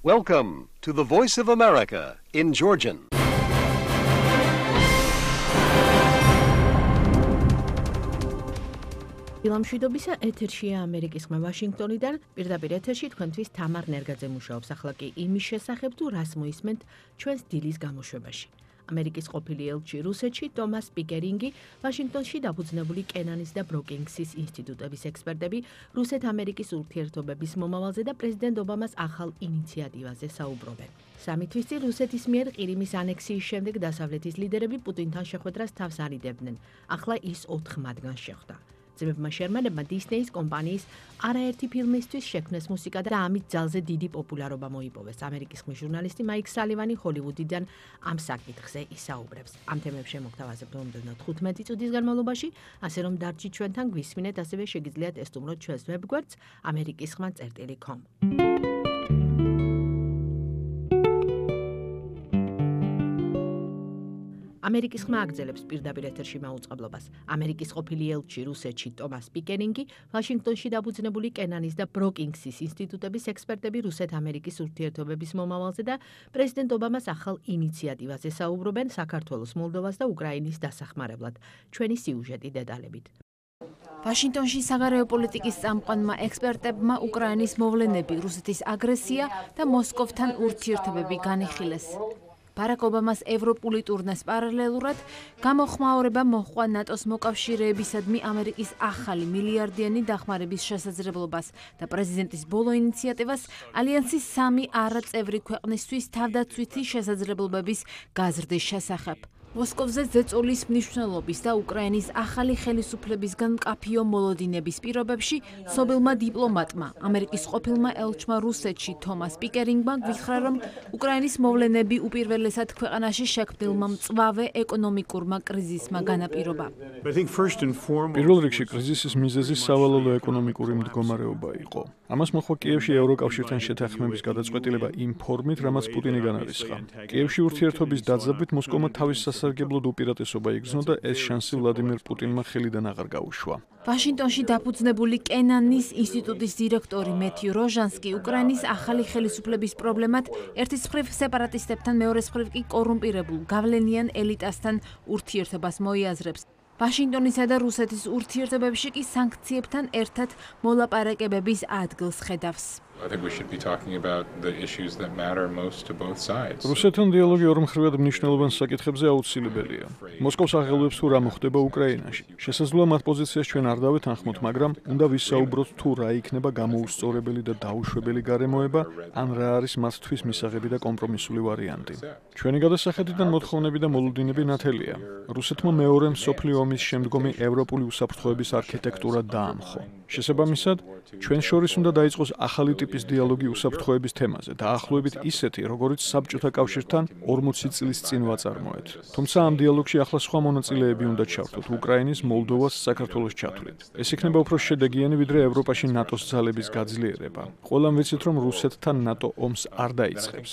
Welcome to the Voice of America in Georgian. Ილამშვიდობისა ეთერშია ამერიკის ხმა ვაშინგტონიდან. პირდაპირ ეთერში თქვენთვის თამარ ნერგაძე მუშაობს. ახლა კი იმის შესახებ თუ რას მოისმენთ ჩვენს დილის გამოშვებაში. ამერიკის ყოფილი ელჩი რუსეთში ტომას პიკერინგი, ვაშინგტონში დაფუძნებული კენანის და ბროკინგსის ინსტიტუტების ექსპერტები რუსეთ-ამერიკის ურთიერთობების მომავალზე და პრეზიდენტ ობამას ახალ ინიციატივაზე საუბრობენ. სამი თვის წინ რუსეთის მიერ ყირიმის ანექსიის შემდეგ დასავლეთის ლიდერები პუტინთან შეხვედრას თავს არიდებდნენ. ახლა ის 4 მათგანს შეხვდა. ძმებმა შერმანებმა დისნეის კომპანიის არაერთი ფილმისთვის შექმნეს მუსიკა და ამით ძალზე დიდი პოპულარობა მოიპოვეს. ამერიკის ხმის ჟურნალისტი მაიკ სალივანი ჰოლივუდიდან ამ საკითხზე ისაუბრებს. ამ თემებს შემოგთავაზებთ მომდევნო 15 წუთის განმავლობაში, ასე რომ დარჩით ჩვენთან, გვისმინეთ, ასევე შეგიძლიათ ესტუმროთ ჩვენს ვებგვერდს amerikiskhma.com. ამერიკის ხმა აგრძელებს პირდაპირ ეთერში მაუწყებლობას. ამერიკის ყოფილი ელჩი რუსეთში ტომას პიკერინგი, ვაშინგტონში დაფუძნებული კენანის და ბროკინგსის ინსტიტუტების ექსპერტები რუსეთ-ამერიკის ურთიერთობების მომავალზე და პრეზიდენტ ობამას ახალ ინიციატივაზე საუბრობენ საქართველოს, მოლდოვას და უკრაინის დასახმარებლად. ჩვენი სიუჟეტი დეტალებით. ვაშინგტონში საგარეო პოლიტიკის წამყვანმა ექსპერტებმა უკრაინის მოვლენები, რუსეთის აგრესია და მოსკოვთან ურთიერთობები განიხილეს. ბარაკ ობამას ევროპული ტურნეს პარალელურად გამოხმაურება მოჰყვა ნატოს მოკავშირეებისადმი ამერიკის ახალი მილიარდიანი დახმარების შესაძლებლობას და პრეზიდენტის ბოლო ინიციატივას ალიანსის 3 არაწევრი ქვეყნისთვის თავდაცვითი შესაძლებლობების გაზრდის შესახებ. მოსკოვზე ზეწოლის მნიშვნელობის და უკრაინის ახალი ხელისუფლებისგან მკაფიო მოლოდინების პირობებში სობილმა დიპლომატმა, ამერიკის ყოფილმა ელჩმა რუსეთში თომას პიკერინგმა გითხრა, რომ უკრაინის მოვლენები უპირველესად ქვეყანაში შექმნილმა მწვავე ეკონომიკურმა კრიზისმა განაპირობა. პირველ რიგში კრიზისის მიზეზი სავალალო ეკონომიკური მდგომარეობა იყო. ამას მოჰყვა კიევში ევროკავშირთან შეთანხმების გადაწყვეტილება იმ ფორმით, რამაც პუტინი განარისხა. კიევში ურთიერთობის დაძაბვით მოსკოვმა თავის სასარგებლოდ უპირატესობა იგრძნო და ეს შანსი ვლადიმირ პუტინმა ხელიდან აღარ გაუშვა. ვაშინგტონში დაფუძნებული კენანის ინსტიტუტის დირექტორი მეთიუ როჟანსკი უკრაინის ახალი ხელისუფლების პრობლემად ერთის მხრივ სეპარატისტებთან, მეორეს მხრივ კი კორუმპირებულ გავლენიან ელიტასთან ურთიერთობას მოიაზრებს. ვაშინგტონისა და რუსეთის ურთიერთობებში კი სანქციებთან ერთად მოლაპარაკებების ადგილს ხედავს. რუსეთთან დიალოგი ორმხრივად მნიშვნელოვან საკითხებზე აუცილებელია. მოსკოვს აღელვებს თუ რა მოხდება უკრაინაში. შესაძლოა მათ პოზიციას ჩვენ არ დავეთანხმოთ, მაგრამ უნდა ვისაუბროთ თუ რა იქნება გამოუსწორებელი და დაუშვებელი გარემოება, ან რა არის მათთვის მისაღები და კომპრომისული ვარიანტი. ჩვენი გადასახედიდან მოთხოვნები და მოლოდინები ნათელია. რუსეთმა მეორე მსოფლიო ომის შემდგომი ევროპული უსაფრთხოების არქიტექტურა დაამხო. შესაბამისად, ჩვენ შორის უნდა დაიწყოს ახალი ტიპის დიალოგი უსაფრთხოების თემაზე, დაახლოებით ისეთი, როგორიც საბჭოთა კავშირთან 40 წლის წინ ვაწარმოეთ. თუმცა ამ დიალოგში ახლა სხვა მონაწილეები უნდა ჩავთვოთ, უკრაინის, მოლდოვას, საქართველოს ჩათვლით. ეს იქნება უფრო შედეგიანი, ვიდრე ევროპაში ნატოს ძალების გაძლიერება. ყველამ ვიცით, რომ რუსეთთან ნატო ომს არ დაიწყებს.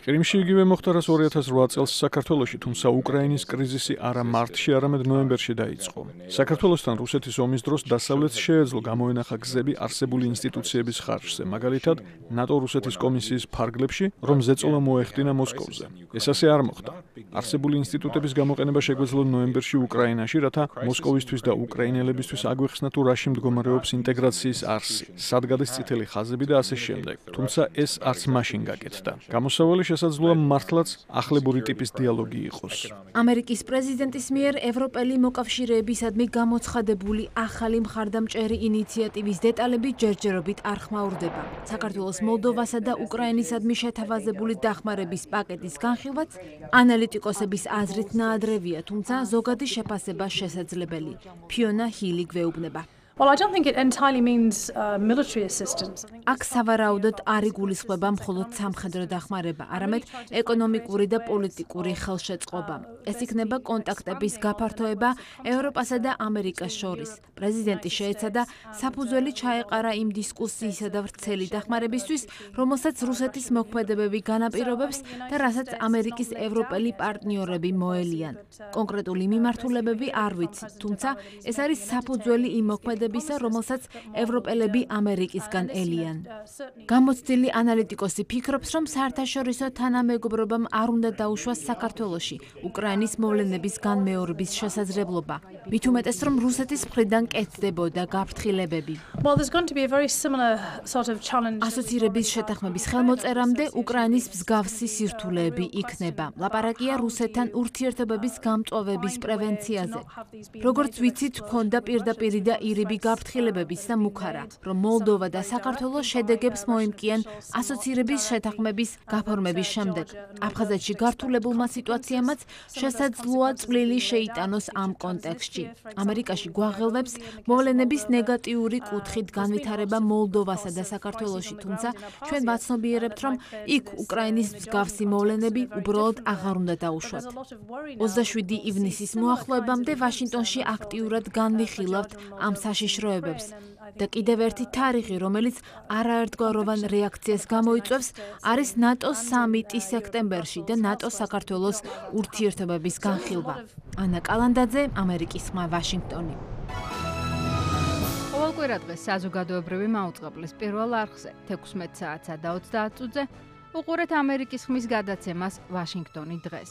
ყირიმში იგივე მოხდა, რაც 2008 წელს საქართველოში, თუმცა უკრაინის კრიზისი არა მარტში, არამედ ნოემბერში დაიწყო. საქართველოსთან რუსეთის ომის დროს დასავლეთს შეეძლო გამოენახა გზები არსებული ინსტიტუციების ხარჯზე, მაგალითად, ნატო-რუსეთის კომისიის ფარგლებში, რომ ზეწოლა მოეხდინა მოსკოვზე. ეს ასე არ მოხდა. არსებული ინსტიტუტების გამოყენება შეგვეძლო ნოემბერში უკრაინაში, რათა მოსკოვისთვის და უკრაინელებისთვის აგვეხსნა თუ რაში მდგომარეობს ინტეგრაციის არსი, სად გადის წითელი ხაზები და ასე შემდეგ. თუმცა ეს არც მაშინ გაკეთდა. გამოსავალი შესაძლოა მართლაც ახლებური ტიპის დიალოგი იყოს. ამერიკის პრეზიდენტის მიერ ევროპელი მოკავშირეებისადმი გამოცხადებული ახალი მხარდამჭერი ინიციატივის დეტალები ჯერჯერობით არ ხმაურდება. საქართველოს, მოლდოვასა და უკრაინისადმი შეთავაზებული დახმარების პაკეტის განხილვაც ანალიტიკოსების აზრით ნაადრევია, თუმცა ზოგადი შეფასება შესაძლებელი. ფიონა ჰილი გვეუბნება. Well, I don't think it entirely means military assistance. აქ სავარაუდოდ არ იგულისხმება მხოლოდ სამხედრო დახმარება, არამედ ეკონომიკური და პოლიტიკური ხელშეწყობა. ეს იქნება კონტაქტების გაფართოება ევროპასა და ამერიკას შორის. პრეზიდენტი შეეცადა საფუძველი ჩაეყარა იმ დისკუსიისა და ვრცელი დახმარებისთვის, რომელსაც რუსეთის მოქმედებები განაპირობებს და რასაც ამერიკის ევროპელი პარტნიორები მოელიან. კონკრეტული მიმართულებები არ ვიცით, თუმცა ეს არის საფუძველი იმ მოქმედებების განხილვადებისა, რომელსაც ევროპელები ამერიკისგან ელიან. გამოცდილი ანალიტიკოსი ფიქრობს, რომ საერთაშორისო თანამეგობრობამ არ უნდა დაუშვას საქართველოში უკრაინის მოვლენების განმეორების შესაძლებლობა. მით უმეტეს, რომ რუსეთის მხრიდან კეთდებოდა გაფრთხილებები. Well, there's going to be a very similar sort of challenge. ასოცირების შეთანხმების ხელმოწერამდე უკრაინის მსგავსი სირთულეები იქნება. ლაპარაკია რუსეთთან ურთიერთობების გამწვავების პრევენციაზე. როგორც ვიცით, ჰქონდა პირდაპირი და ირიბი გაფრთხილებების და მუქარა, რომ მოლდოვა და საქართველო შედეგებს მოიმკიან ასოცირების შეთანხმების გაფორმების შემდეგ. აფხაზეთში გართულებულმა სიტუაციამაც შესაძლოა წვლილი შეიტანოს ამ კონტექსტში. ამერიკაში გვაღელვებს მოვლენების ნეგატიური კუთხით განვითარება მოლდოვასა და საქართველოში, თუმცა ჩვენ ვაცნობიერებთ, რომ იქ უკრაინის მსგავსი მოვლენები უბრალოდ აღარ უნდა დაუშვათ. 27 ივნისის მოახლოებამდე ვაშინგტონში აქტიურად განვიხილავთ ამ საშიშროებებს. და კიდევ ერთი თარიღი, რომელიც არაერთგვაროვან რეაქციას გამოიწვევს, არის ნატოს სამიტი სექტემბერში და ნატო-საქართველოს ურთიერთობების განხილვა. ანა კალანდაძე, ამერიკის ხმა, ვაშინგტონი. ყოველკვირა დღეს საზოგადოებრივი მაუწყებლის პირველ არხზე 16 საათსა და 30 წუთზე უყურეთ ამერიკის ხმის გადაცემას ვაშინგტონი დღეს.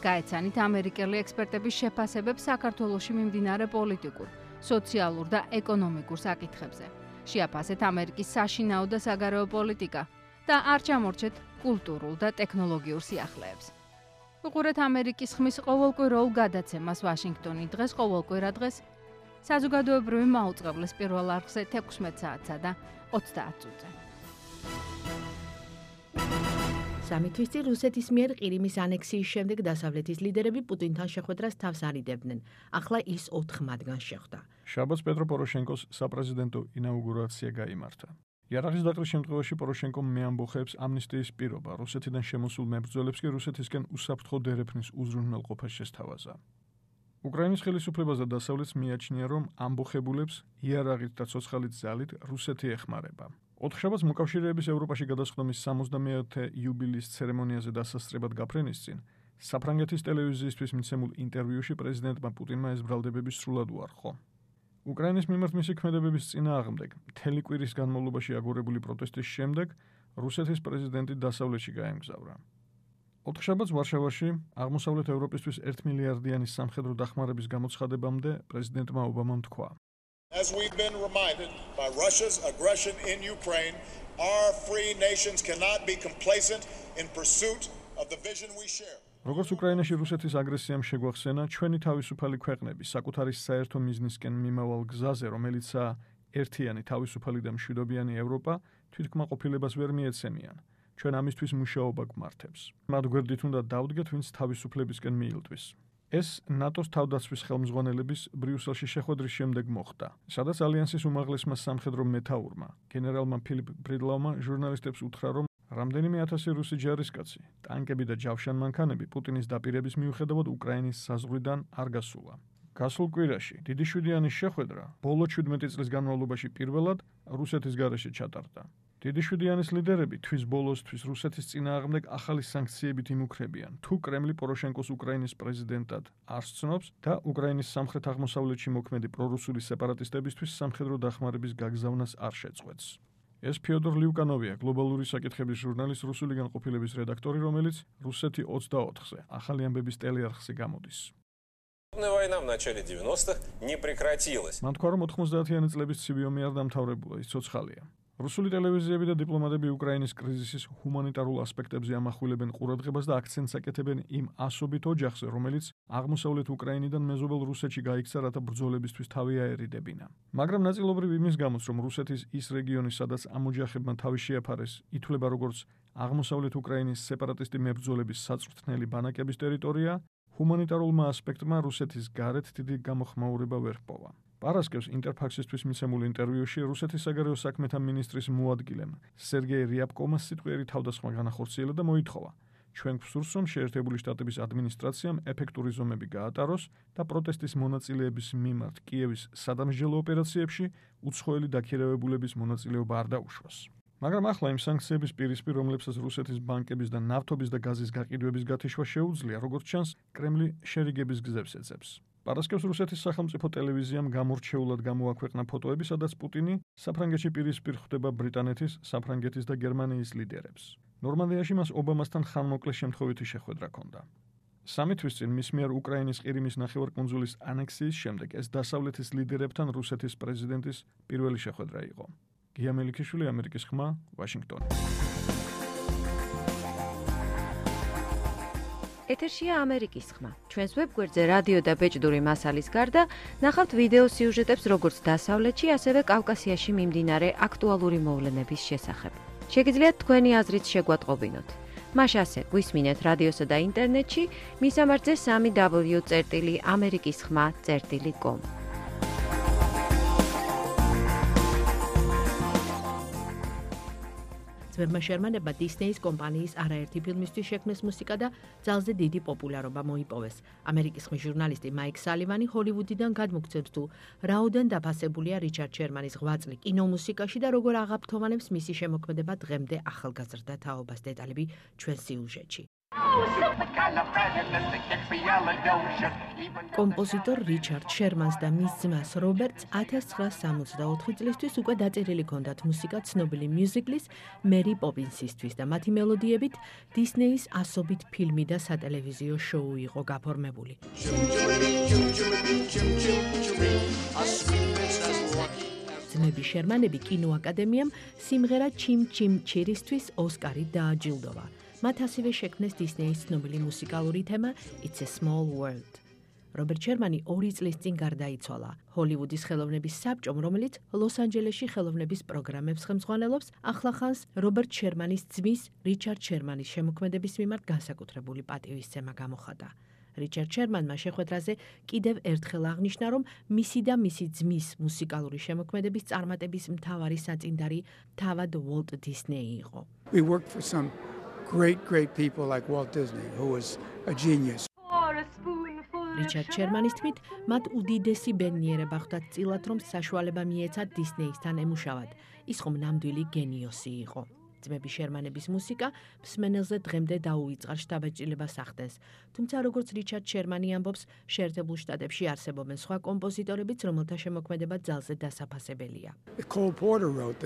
გაეცანით ამერიკელი ექსპერტების შეფასებებს საქართველოში მიმდინარე პოლიტიკურ, სოციალურ და ეკონომიკურ საკითხებზე. შეაფასეთ ამერიკის საშინაო და საგარეო პოლიტიკა და არ ჩამორჩეთ კულტურულ და ტექნოლოგიურ სიახლეებს. უყურეთ ამერიკის ხმის ყოველკვირეულ გადაცემას ვაშინგტონი დღეს ყოველკვირა დღეს საზოგადოებრივი მაუწყებლის პირველ არხზე 16 საათსა და 30 წუთზე. სამი თვის წინ რუსეთის მიერ ყირიმის ანექსიის შემდეგ დასავლეთის ლიდერები პუტინთან შეხვედრას თავს არიდებდნენ. ახლა ის 4 მათგანს შეხვდა. შაბათს პეტრო პოროშენკოს საპრეზიდენტო ინაუგურაცია გაიმართა. იარაღის დაყრის შემთხვევაში პოროშენკომ მეამბოხეებს ამნისტიის პირობა, რუსეთიდან შემოსულ მებრძოლებს კი რუსეთისკენ უსაფრთხო დერეფნის უზრუნველყოფა შესთავაზა. უკრაინის ხელისუფლებას და დასავლეთს მიაჩნია, რომ ამბოხებულებს იარაღით და ცოცხალით ძალით რუსეთი ეხმარება. ოთხშაბათს მოკავშირეების ევროპაში გადასხდომის 70-ე იუბილეის ცერემონიაზე დასასწრებად გაფრენის წინ საფრანგეთის ტელევიზიისთვის მიცემულ ინტერვიუში პრეზიდენტმა პუტინმა ეს ბრალდებები სრულად უარყო. უკრაინის მიმართ მისი ქმედებების წინააღმდეგ მთელი კვირის განმავლობაში აგორებული პროტესტის შემდეგ რუსეთის პრეზიდენტი დასავლეთში გაემგზავრა. ოთხშაბათს ვარშავაში აღმოსავლეთ ევროპისთვის 1 მილიარდიანი სამხედრო დახმარების გამოცხადებამდე პრეზიდენტმა ობამამ თქვა: As we've been reminded by Russia's aggression in Ukraine, our free nations cannot be complacent in pursuit of the vision we share. როგორც უკრაინაში რუსეთის აგრესიამ შეგვახსენა, ჩვენი თავისუფალი ქვეყნები საკუთარი საერთო მიზნისკენ მიმავალ გზაზე, რომელიცაა ერთიანი, თავისუფალი და მშვიდობიანი ევროპა, თვითკმაყოფილებას ვერ მიეცემიან. ჩვენ ამისთვის მუშაობა გვმართებს. მათ გვერდით უნდა დავდგეთ, ვინც თავისუფლებისკენ მიილტვის. ეს ნატოს თავდაცვის ხელმძღვანელების ბრიუსელში შეხვედრის შემდეგ მოხდა, სადაც ალიანსის უმაღლესმა სამხედრო მეთაურმა, გენერალმა ფილიპ ბრიდლავმა ჟურნალისტებს უთხრა, რომ რამდენიმე ათასი რუსი ჯარისკაცი, ტანკები და ჯავშანმანქანები პუტინის დაპირების მიუხედავად უკრაინის საზღვრიდან არ გასულა. გასულ კვირაში დიდი შვიდიანის შეხვედრა ბოლო 17 წლის განმავლობაში პირველად რუსეთის გარეშე ჩატარდა. დიდი შვიდიანის ლიდერები თვის ბოლოსთვის რუსეთის წინააღმდეგ ახალი სანქციებით იმუქრებიან, თუ კრემლი პოროშენკოს უკრაინის პრეზიდენტად არ სცნობს და უკრაინის სამხრეთ-აღმოსავლეთში მოქმედი პრორუსული სეპარატისტებისთვის სამხედრო დახმარების გაგზავნას არ შეწყვეტს. ეს ფიოდორ ლიუკანოვია, გლობალური საკითხების ჟურნალის რუსული განყოფილების რედაქტორი, რომელიც რუსეთი 24-ზე ახალი ამბების ტელეარხზე გამოდის. Война в начале 90-х не прекратилась. მან თქვა, რომ 90-იანი წლების ცივი ომი არ დამთავრებულა, ის ცოცხალია. რუსული ტელევიზიები და დიპლომატები უკრაინის კრიზისის ჰუმანიტარულ ასპექტებზე ამახვილებენ ყურადღებას და აქცენტს აკეთებენ იმ ასობით ოჯახზე, რომელიც აღმოსავლეთ უკრაინიდან მეზობელ რუსეთში გაიქცა, რათა ბრძოლებისთვის თავი აერიდებინა. მაგრამ ნაწილობრივ იმის გამოც, რომ რუსეთის ის რეგიონი, სადაც ამ ოჯახებმა თავი შეაფარეს, ითვლება როგორც აღმოსავლეთ უკრაინის სეპარატისტი მებრძოლების საწვრთნელი ბანაკების ტერიტორია, ჰუმანიტარულმა ასპექტმა რუსეთის გარეთ დიდი გამოხმაურება ვერ ჰპოვა. პარასკევს ინტერფაქსისთვის მიცემულ ინტერვიუში რუსეთის საგარეო საქმეთა მინისტრის მოადგილემ სერგეი რიაბკომას სიტყვიერი თავდასხმა განახორციელა და მოითხოვა: ჩვენ გვსურს, რომ შეერთებული შტატების ადმინისტრაციამ ეფექტური ზომები გაატაროს და პროტესტის მონაწილეების მიმართ კიევის სადამსჯელო ოპერაციებში უცხოელი დაქირავებულების მონაწილეობა არ დაუშვას. მაგრამ ახლა იმ სანქციების პირისპირ, რომლებსაც რუსეთის ბანკების და ნავთობის და გაზის გაყიდვების გათიშვა შეუძლია, როგორც ჩანს, კრემლი შერიგების გზებს ეძებს. პარასკევს რუსეთის სახელმწიფო ტელევიზიამ გამორჩეულად გამოაქვეყნა ფოტოები, სადაც პუტინი საფრანგეთში პირისპირ ხვდება ბრიტანეთის, საფრანგეთის და გერმანიის ლიდერებს. ნორმანდიაში მას ობამასთან ხანმოკლე შემთხვევითი შეხვედრა ჰქონდა. სამი თვის წინ მის მიერ უკრაინის ყირიმის ნახევარკუნძულის ანექსიის შემდეგ ეს დასავლეთის ლიდერებთან რუსეთის პრეზიდენტის პირველი შეხვედრა იყო. გია მელიქიშვილი, ამერიკის ხმა, ვაშინგტონი. ეთერშია ამერიკის ხმა. ჩვენს ვებგვერდზე რადიო და ბეჭდური მასალის გარდა ნახავთ ვიდეო სიუჟეტებს როგორც დასავლეთში, ასევე კავკასიაში მიმდინარე აქტუალური მოვლენების შესახებ. შეგიძლიათ თქვენი აზრით შეგვატყობინოთ. მას ასე გვისმინეთ რადიოსა და ინტერნეტში, მისამართზე www.amerikiskhma.com. ძმებმა შერმანებმა დისნეის კომპანიის არაერთი ფილმისთვის შექმნეს მუსიკა და ძალზე დიდი პოპულარობა მოიპოვეს. ამერიკის ხმის ჟურნალისტი მაიკ სალივანი ჰოლივუდიდან გადმოგცემს თუ რაოდენ დაფასებულია რიჩარდ შერმანის ღვაწლი კინომუსიკაში და როგორ აღაფრთოვანებს მისი შემოქმედება დღემდე ახალგაზრდა თაობას. დეტალები ჩვენ სიუჟეტში. კომპოზიტორ რიჩარდ შერმანს და მის ძმას რობერტს 1964 წლისთვის უკვე დაწერილი ჰქონდათ მუსიკა ცნობილი მიუზიკლის მერი პოპინსისთვის და მათი მელოდიებით დისნეის ასობით ფილმი და სატელევიზიო შოუ იყო გაფორმებული. ძმები შერმანები კინოაკადემიამ სიმღერა ჩიმ ჩიმ ჩირისთვის ოსკარი დააჯილდოვა. მათ ასევე შექმნეს დისნეის ცნობილი მუსიკალური თემა It's a Small World. რობერტ შერმანი 2 წლის წინ გარდაიცვალა. ჰოლივუდის ხელოვნების საბჭომ, რომელიც ლოს-ანჯელესში ხელოვნების პროგრამებს ხელმძღვანელობს, ახლახანს რობერტ შერმანის ძმის რიჩარდ შერმანის შემოქმედების მიმართ განსაკუთრებული პატივისცემა გამოხატა. რიჩარდ შერმანმა შეხვედრაზე კიდევ ერთხელ აღნიშნა, რომ მისი და მისი ძმის მუსიკალური შემოქმედების წარმატების მთავარი საწინდარი თავად უოლტ დისნეი იყო. We worked for some great people like Walt Disney, who was a genius. რიჩარდ შერმანის თქმით, მათ უდიდესი ბედნიერება ხვდათ წილად, რომ საშუალება მიეცათ დისნეისთან ემუშავად. ის ხომ ნამდვილი გენიოსი იყო. ძმები შერმანების მუსიკა მსმენელზე დღემდე დაუვიწყარ შთაბეჭდილებას ახდენს. თუმცა როგორც რიჩარდ შერმანი ამბობს, შეერთებულ შტატებში არსებობენ სხვა კომპოზიტორებიც, რომელთა შემოქმედება ძალზე დასაფასებელია. Cole Porter wrote,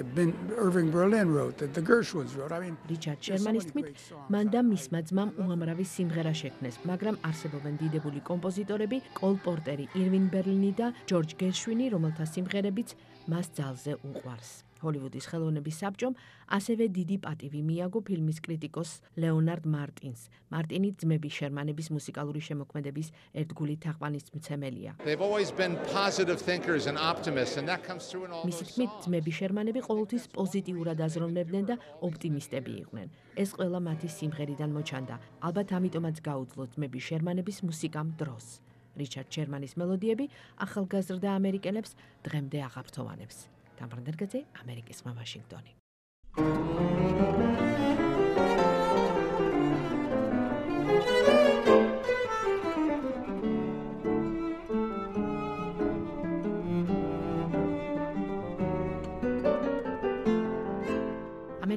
Irving Berlin wrote, the Gershwins wrote. I mean, რიჩარდ შერმანის თქმით, მან და მისმა ძმამ უამრავი სიმღერა შექმნეს, მაგრამ არსებობენ დიდებული კომპოზიტორები, კოლ პორტერი, ირვინ ბერლინი და ჯორჯ გერშვინი, რომელთა სიმღერებიც მას ძალზე უყვარს. ჰოლივუდის ხელოვნების საბჭომ ასევე დიდი პატივი მიაგო ფილმის კრიტიკოს ლეონარდ მარტინს. მარტინი ძმები შერმანების მუსიკალური შემოქმედების ერთგული თაყვანისმცემელია. მისი თქმით, ძმები შერმანები ყოველთვის პოზიტიურად აზროვნებდნენ და ოპტიმისტები იყვნენ. ეს ყველა მათი სიმღერიდან მოჩანდა. ალბათ ამიტომაც გაუძლო ძმები შერმანების მუსიკამ დროს. რიჩარდ შერმანის მელოდიები ახალგაზრდა ამერიკელებს დღემდე აღაფრთოვანებს. დამბრუნდერგაძე, ამერიკის ხმა, ვაშინგტონი.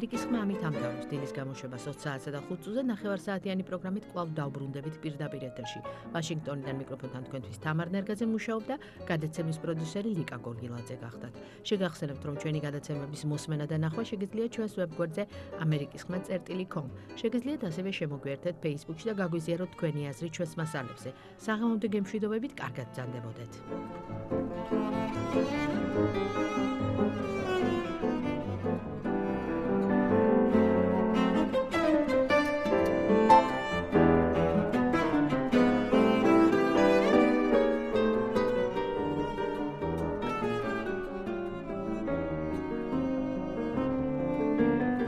ამერიკის ხმა ამით ამთავრებს დილის გამოშვებას 20 საათსა და 5 წუთზე ნახევარსაათიანი პროგრამით კვლავ დავბრუნდებით პირდაპირ ეთერში. ვაშინგტონიდან მიკროფონთან თქვენთვის თამარ ნერგაძე მუშაობდა, გადაცემის პროდიუსერი ლიკა გორგილაძე გახდათ. შეგახსენებთ, რომ ჩვენი გადაცემების მოსმენა და ნახვა შეგიძლიათ ჩვენს ვებგვერდზე amerikiskhma.com. შეგიძლიათ ასევე შემოგვიერთდეთ Facebook-ში და გაგვიზიაროთ თქვენი აზრი ჩვენს მასალებზე. საღამომდე გემშვიდობებით, კარგად ბრძანდებოდეთ.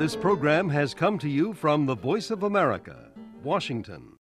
This program has come to you from the Voice of America, Washington.